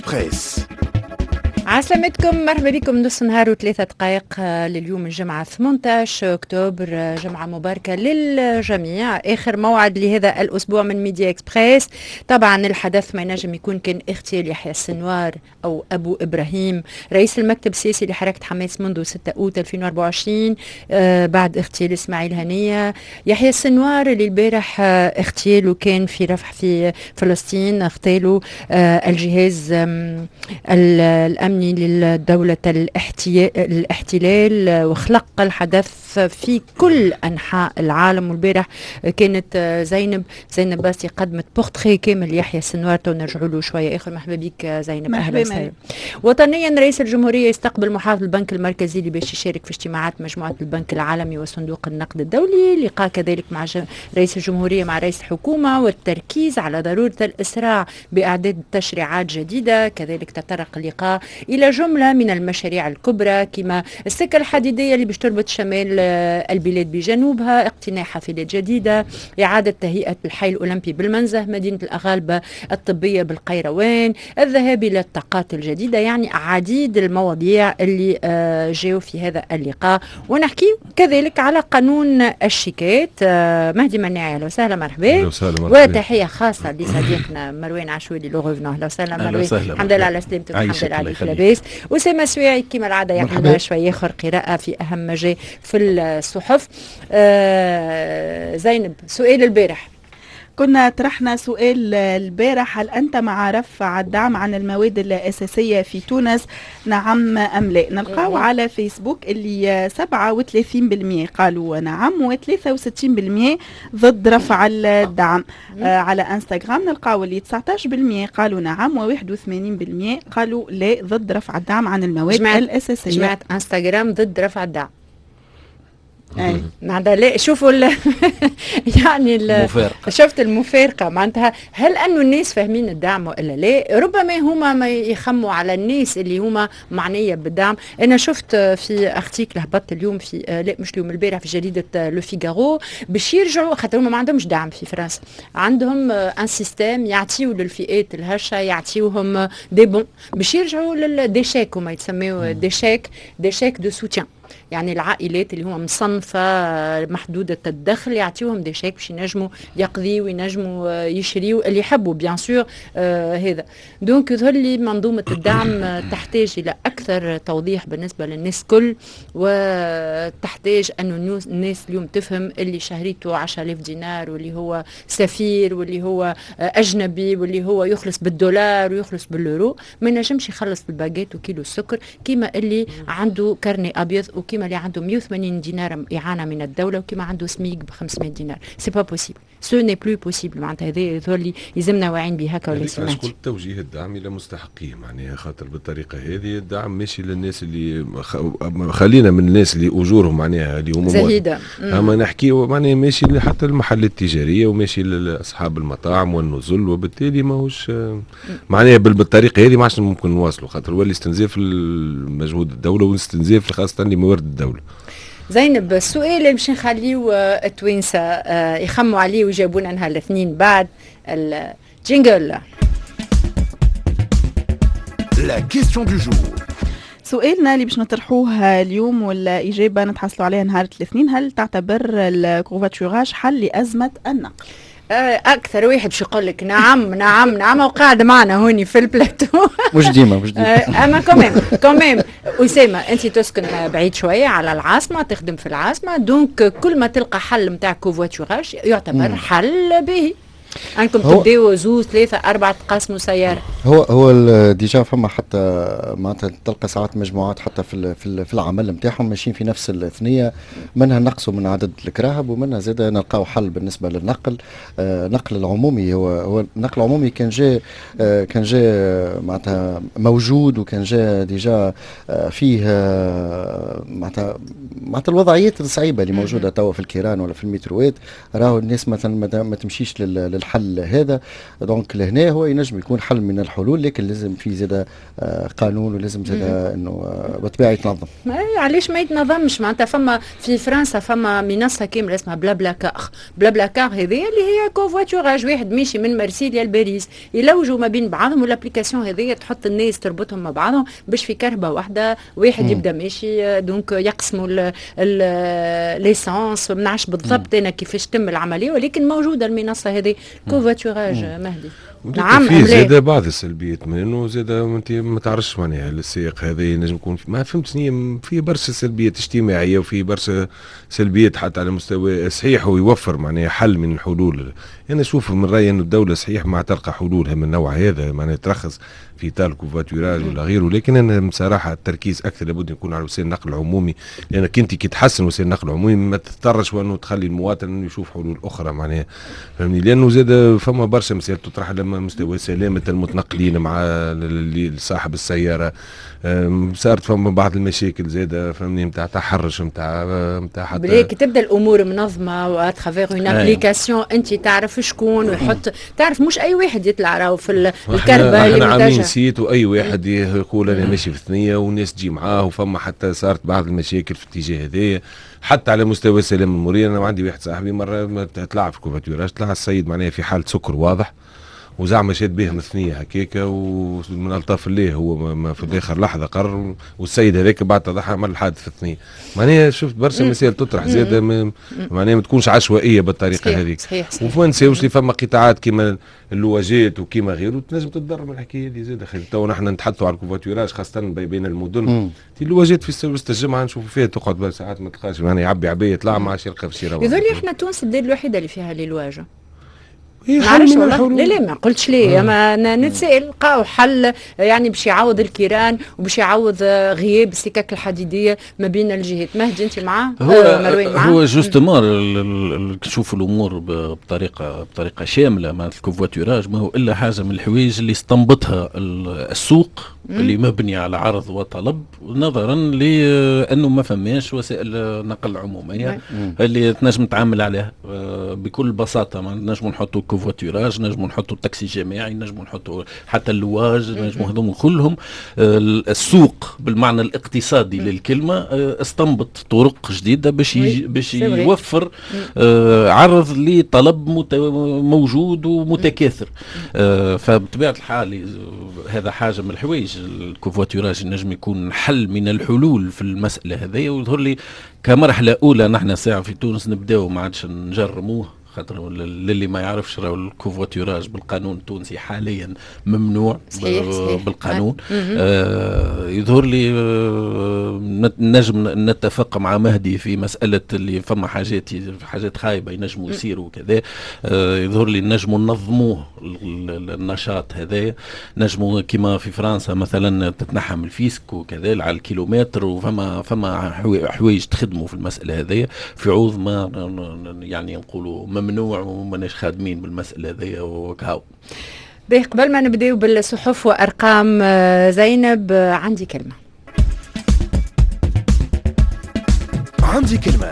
اكسبريس. عسلامتكم، مرحبا بكم. نص نهار و3 دقائق لليوم الجمعة 18 أكتوبر، جمعة مباركة للجميع. آخر موعد لهذا الأسبوع من ميديا إكسبريس. طبعا الحدث ما ينجم يكون كان اغتيال يحيى السنوار أو أبو إبراهيم، رئيس المكتب السياسي لحركة حماس منذ 6 أوت 2024، بعد اغتيال إسماعيل هنية. يحيى السنوار اللي البارح اغتياله كان في رفح في فلسطين، اغتاله الجهاز الأمني للدولة الاحتلال، وخلق الحدث في كل أنحاء العالم. والبارح كانت زينب باسي قدمت بورتري كامل يحيى السنوار، نرجعوا له شوية آخر. مرحبا بك زينب، أهلا وسهلا. وطنيا، رئيس الجمهورية يستقبل محافظ البنك المركزي اللي باش يشارك في اجتماعات مجموعة البنك العالمي وصندوق النقد الدولي. لقاء كذلك مع رئيس الجمهورية مع رئيس الحكومة، والتركيز على ضرورة الإسراع بإعداد تشريعات جديدة. كذلك تطرق اللقاء إلى جملة من المشاريع الكبرى، كما السكة الحديدية اللي باش تربط شمال البلاد بجنوبها، اقتناء حافلات جديدة، إعادة تهيئة الحي الأولمبي بالمنزه، مدينة الأغالبة الطبية بالقيروان، الذهاب إلى الطاقات الجديدة. يعني عديد المواضيع اللي جاوا في هذا اللقاء. ونحكي كذلك على قانون الشيكات. مهدي مناعي، اهلا وسهلا، مرحبا. وتحية خاصة لصديقنا مروان عشوالي le revenant، اهلا وسهلا مروان، الحمد لله على سلامتك، الحمد لله عليك لاباس. أسامة سويعي كما العادة يعمل شوية آخر قراءة في أهم ما جاء في الصحف. زينب، سؤال البارح. كنا طرحنا سؤال البارح: هل أنت مع رفع الدعم عن المواد الأساسية في تونس، نعم أم لا؟ نلقاو على فيسبوك اللي 37% قالوا نعم و63% ضد رفع الدعم. على انستغرام نلقاو اللي 19% قالوا نعم و81% قالوا لا، ضد رفع الدعم عن المواد الأساسية. جماعة انستغرام ضد رفع الدعم. معناتها لا، شوفوا يعني المفارقة. شفت المفارقة؟ معناتها هل أنه الناس فاهمين الدعم وإلا لا؟ ربما هما ما يخموا على الناس اللي هما معنية بالدعم. أنا شفت في article هبط اليوم في، لا مش اليوم، البارح في جريدة Le Figaro، باش يرجعوا، خاطر هما ما عندهمش دعم في فرنسا، عندهم un système يعطيو للفئات الهشة، يعطيوهم des bons، باش يرجعوا لل des chèques، هما يتسميو des chèques de soutien، يعني العائلات اللي هما مصنفة محدودة الدخل يعطيوهم des chèques باش ينجموا يقضيوا وينجموا يشريوا اللي يحبوا bien sûr. هذا donc يظهر لي منظومة الدعم تحتاج إلى أكثر توضيح بالنسبة للناس كل، وتحتاج أن الناس اليوم تفهم اللي شهريته 10000 دينار واللي هو سفير واللي هو أجنبي واللي هو يخلص بالدولار ويخلص باليورو ما ينجمش يخلص بالباجيت وكيلو السكر كيما اللي عنده carnet أبيض، وكيما اللي عنده 180 دينار إعانة من الدولة، وكيما عنده سميك ب 500 دينار. c'est pas possible، ce n'est plus possible. معناتها هذا يظهر لي يلزمنا واعيين به هكا ولا سمعت. قلت توجيه الدعم الى مستحقيه، معناها خاطر بالطريقة هذه الدعم ماشي للناس اللي، خلينا من الناس اللي اجورهم معناها اللي هما زهيده. اما نحكي معناها ماشي حتى المحلات التجارية وماشي لاصحاب المطاعم والنزل، وبالتالي ماهوش معناها بالطريقة هذه ما عادش ممكن نواصلوا، خاطر ولي استنزاف المجهود الدولة واستنزاف خاصة لموارد الدوله. زينب، السؤال اللي باش نخليو التوانسة يخموا عليه ويجاوبونا نهار الاثنين بعد ال jingle. La question du jour. سؤالنا اللي باش نطرحوه اليوم والإجابة نتحصلوا عليها نهار الاثنين: هل تعتبر ال covoiturage حل لأزمة النقل؟ اكثر واحد باش يقول لك نعم نعم نعم وقاعد معنا هوني في البلاتو. مش ديما، مش ديما. اما quand même quand même اسامه، انت تسكن بعيد شوية على العاصمه، تخدم في العاصمه، donc كل ما تلقى حل نتاع covoiturage يعتبر حل باهي، انكم تبداو زوز ثلاثة اربعة تقاسموا سياره. هو déjà فما حتى معناتها تلقى ساعات مجموعات حتى في العمل نتاعهم ماشيين في نفس الثنيه، منها نقصوا من عدد الكراهب ومنها زاد نلقاو حل بالنسبة للنقل، النقل العمومي. هو النقل العمومي كان جاء معناتها موجود وكان جاء déjà فيه معناتها الوضعيات الصعيبه اللي موجودة توا في الكيران ولا في المتروات، راهو الناس مثلا ما تمشيش. للحل هذا. donc لهنا هو ينجم يكون حل من الحلول، لكن لازم في زاد قانون، ولازم زاد انه بالطبيعة يتنظم. علاش ما يتنظمش؟ معناتها فما في فرنسا فما منصة كاملة اسمها BlaBlaCar. BlaBlaCar هذه اللي هي covoiturage، واحد ماشي من مرسيليا لباريس يلوجوا ما بين بعضهم، وال application هذه تحط الناس تربطهم مع بعضهم باش في كرهبه واحدة واحد يبدا ماشي، donc يقسموا l'essence. ما نعرفش بالضبط انا كيفاش تم العملية، ولكن موجودة المنصة هذه covoiturage. مهدي نعم، فيه زاد بعض السلبيات من انه زاد انت ما تعرفش معناها السياق هذا ينجم يكون، ما فهمت شنو، فيه برشا سلبيات اجتماعية وفيه برشا سلبيات حتى على مستوى صحيح، ويوفر معناها حل من الحلول. انا اشوف من رايي انه الدولة صحيح ما تلقى حلولها من النوع هذا، معناها ترخص في اطار ال covoiturage ولا غيره، لكن انا بصراحة التركيز اكثر لابد يكون على وسائل النقل العمومي، لانك انت كي تحسن وسائل النقل العمومي ما تضطرش وانه تخلي المواطن انه يشوف حلول اخرى معناها، فهمني؟ لانه زاد فما برشا مسائل تطرح لما مستوى سلامه المتنقلين مع صاحب السيارة، صارت فما بعض المشاكل زاد، فهمني، نتاع تحرش نتاع حتى بلي كي تبدا الامور منظمة و à travers une application انت تعرف شكون ويحط، تعرف مش اي واحد يطلع راهو في الكرهبه اللي عاملين site، واي واحد يقول انا ماشي في ثنيه والناس تجي معاه، وفما حتى صارت بعض المشاكل في الاتجاه هذايا حتى على مستوى السلام المروري. انا عندي واحد صاحبي مرة طلع في covoiturage، طلع السيد معناها في حاله سكر واضح، وزعما شاد بهم ثنيه هكاكا، ومن الطاف الله هو ما في اخر لحظة قرر، والسيد هذاك بعد تضحى عمل الحادث في الثنية. معناها شفت برشا مسائل تطرح زاده، معناها ما تكونش عشوائية بالطريقة هذيك. صحيح. وما نساوش اللي فما قطاعات كيما اللواجات وكيما غيره تنجم تتضرر من الحكاية هذه زاده. تو نحن نتحدثوا على ال covoiturage خاصة بين المدن، اللواجات في وسط الجمعة نشوفوا فيها تقعد ساعات ما تلقاش، معناها يعبي عبيه يطلع ما عادش يلقى في شي. يظهر لي احنا تونس البلاد الوحيدة اللي فيها les louages. معلش والله لا لا ما قلتش ليه، ما نتسائل لقاو حل يعني باش يعوض الكيران وباش يعوض غياب السكك الحديدية ما بين الجهات. مهدي انت معاه؟ هو معاه؟ هو justement تشوف الامور بطريقة شاملة. معناتها ال covoiturage ما هو الا حاجة من الحوايج اللي استنبطها السوق اللي مبني على عرض وطلب، نظرا لانه ما فماش وسائل نقل عموميه اللي تنجم تعامل عليها بكل بساطة. ما نجموا نحطوا covoiturage، نجموا نحطوا التاكسي الجماعي، نجموا نحطوا حتى اللواج، نجموا هذوم كلهم. السوق بالمعنى الاقتصادي للكلمة استنبط طرق جديدة باش يوفر عرض لطلب موجود ومتكاثر. فبطبيعه الحال هذا حاجة من الحوايج، ال covoiturage نجم يكون حل من الحلول في المسالة هذه. ويظهر لي كمرحلة اولى نحن ساعة في تونس نبداو ما عادش نجرموه، خاطر للي ما يعرفش راهو ال covoiturage بالقانون التونسي حاليا ممنوع. صحيح صحيح. بالقانون. يظهر لي نجم نتفق مع مهدي في مسألة اللي فما حاجات خايبة ينجموا يصيروا وكذا. يظهر لي نجموا ننظموه النشاط هذا، نجموا كما في فرنسا مثلا تتنحى من ال fisc وكذا على الكيلومتر، وفما فما حوايج تخدموا في المسألة هذه في عوض ما يعني نقولوا ممنوع وماناش خادمين بالمسألة هذه وكهو. باهي، قبل ما نبداو بالصحف وأرقام زينب، عندي كلمة. عندي كلمة.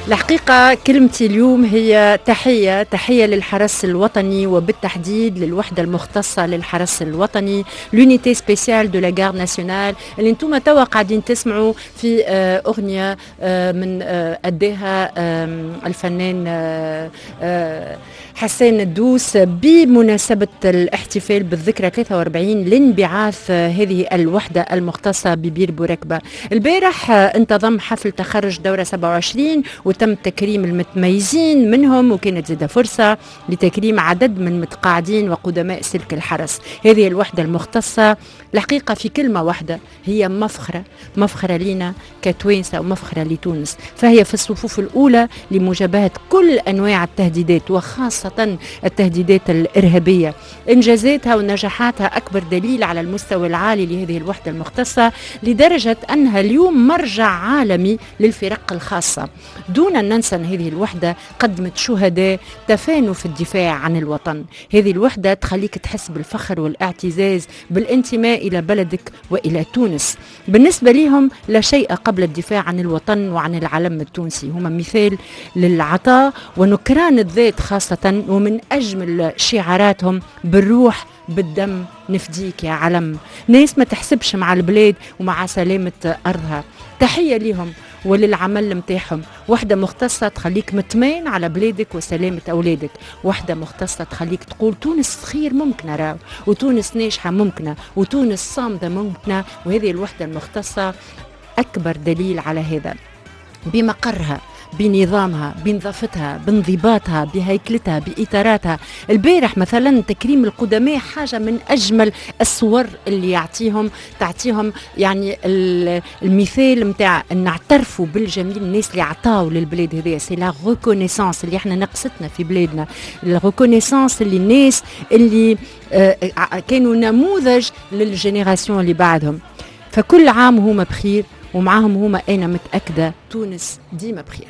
الحقيقة كلمتي اليوم هي تحية للحرس الوطني، وبالتحديد للوحدة المختصة للحرس الوطني، l'unité spéciale de la garde nationale، اللي انتم توا قاعدين تسمعوا في أغنية من أداها الفنان حسان الدوس بمناسبة الاحتفال بالذكرى 43 لانبعاث هذه الوحدة المختصة ببير بوركبة. البارح انتظم حفل تخرج دورة 27 وتم تكريم المتميزين منهم، وكانت زادة فرصة لتكريم عدد من متقاعدين وقدماء سلك الحرس. هذه الوحدة المختصة الحقيقة في كلمة واحدة هي مفخرة، مفخرة لنا كتوانسة ومفخرة لتونس، فهي في الصفوف الأولى لمجابهة كل أنواع التهديدات وخاصة التهديدات الإرهابية. إنجازاتها ونجاحاتها أكبر دليل على المستوى العالي لهذه الوحدة المختصة، لدرجة أنها اليوم مرجع عالمي للفرق الخاصة. دون أن ننسى أن هذه الوحدة قدمت شهداء تفانوا في الدفاع عن الوطن. هذه الوحدة تخليك تحس بالفخر والاعتزاز بالانتماء إلى بلدك وإلى تونس. بالنسبة لهم لا شيء قبل الدفاع عن الوطن وعن العلم التونسي. هما مثال للعطاء ونكران الذات خاصة، ومن أجمل شعاراتهم بالروح بالدم نفديك يا علم. ناس ما تحسبش مع البلاد ومع سلامة أرضها. تحية لهم وللعمل متاعهم. وحدة مختصة تخليك مطمئن على بلادك وسلامة أولادك، وحدة مختصة تخليك تقول تونس خير ممكنة راو، وتونس ناجحة ممكنة، وتونس صامدة ممكنة. وهذه الوحدة المختصة أكبر دليل على هذا، بمقرها، بنظامها، بنظافتها، بانضباطها، بهيكلتها، بإطاراتها. البارح مثلا تكريم القدماء حاجة من أجمل الصور اللي تعطيهم يعني المثال متاع نعترفوا بالجميل الناس اللي عطاو للبلاد هذيا. c'est la reconnaissance اللي احنا نقصتنا في بلادنا، ال reconnaissance اللي الناس اللي كانوا نموذج لل génération اللي بعدهم. فكل عام هما بخير، ومعاهم هما أنا متأكدة تونس ديما بخير.